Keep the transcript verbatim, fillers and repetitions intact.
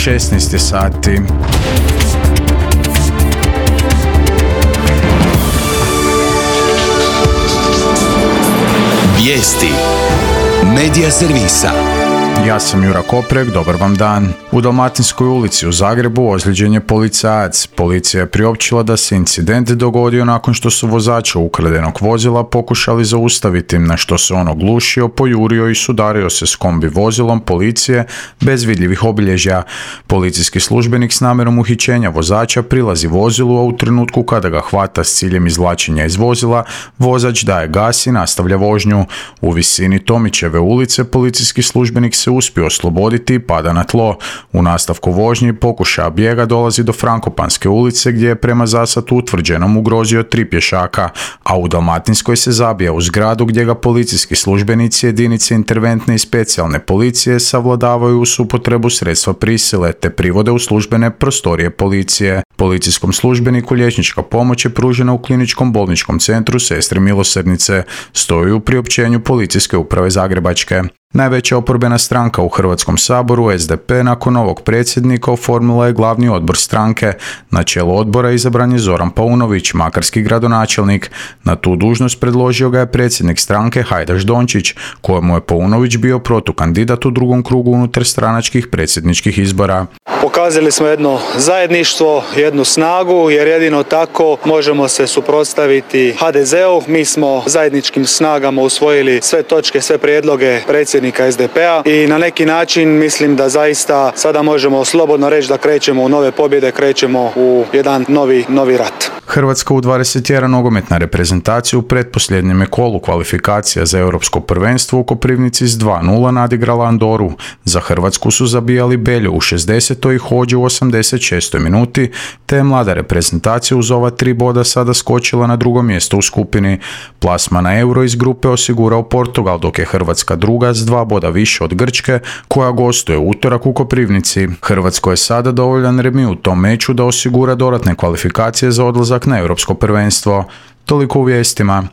šesnaest sati. Vijesti Medija servisa. Ja sam Jura Koprek, dobar vam dan. U Dalmatinskoj ulici u Zagrebu ozlijeđen je policajac. Policija je priopćila da se incident dogodio nakon što su vozača ukradenog vozila pokušali zaustaviti, na što se on oglušio, pojurio i sudario se s kombi vozilom policije bez vidljivih obilježja. Policijski službenik s namjerom uhićenja vozača prilazi vozilu, a u trenutku kada ga hvata s ciljem izvlačenja iz vozila, vozač daje gas i nastavlja vožnju. U visini Tomićeve ulice policijski službenik se uspio osloboditi i pada na tlo. U nastavku vožnje pokušaja bijega dolazi do Frankopanske ulice gdje je prema zasadu utvrđenom ugrozio tri pješaka, a u Dalmatinskoj se zabija u zgradu gdje ga policijski službenici jedinice interventne i specijalne policije savladavaju uz upotrebu sredstva prisile te privode u službene prostorije policije. Policijskom službeniku liječnička pomoć je pružena u kliničkom bolničkom centru Sestre milosrdnice, stoji u priopćenju Policijske uprave Zagrebačke. Najveća oporbena stranka u Hrvatskom saboru, S D P, nakon novog predsjednika oformila je glavni odbor stranke. Na čelu odbora izabran je Zoran Paunović, makarski gradonačelnik. Na tu dužnost predložio ga je predsjednik stranke Hajdaš Dončić, kojemu je Paunović bio protukandidat u drugom krugu unutar stranačkih predsjedničkih izbora. Pokazali smo jedno zajedništvo, jednu snagu, jer jedino tako možemo se suprotstaviti H D Z-u. Mi smo zajedničkim snagama usvojili sve točke, sve prijedloge predsjednika S D P-a i na neki način mislim da zaista sada možemo slobodno reći da krećemo u nove pobjede, krećemo u jedan novi, novi rat. Hrvatska u dvadeset jedan nogometna reprezentacija u pretposljednjem je kolu kvalifikacija za europsko prvenstvo u Koprivnici s dva nula nadigrala Andoru. Za Hrvatsku su zabijali Beljo u šezdesetoj i Hođe u osamdeset šestoj minuti, te je mlada reprezentacija uz ova tri boda sada skočila na drugo mjesto u skupini. Plasma na Euro iz grupe osigurao Portugal, dok je Hrvatska druga s dva boda više od Grčke, koja gostuje utorak u Koprivnici. Hrvatsko je sada dovoljan remi u tom meču da osigura dodatne kvalifikacije za odlazak na europsko prvenstvo. Toliko u vijestima.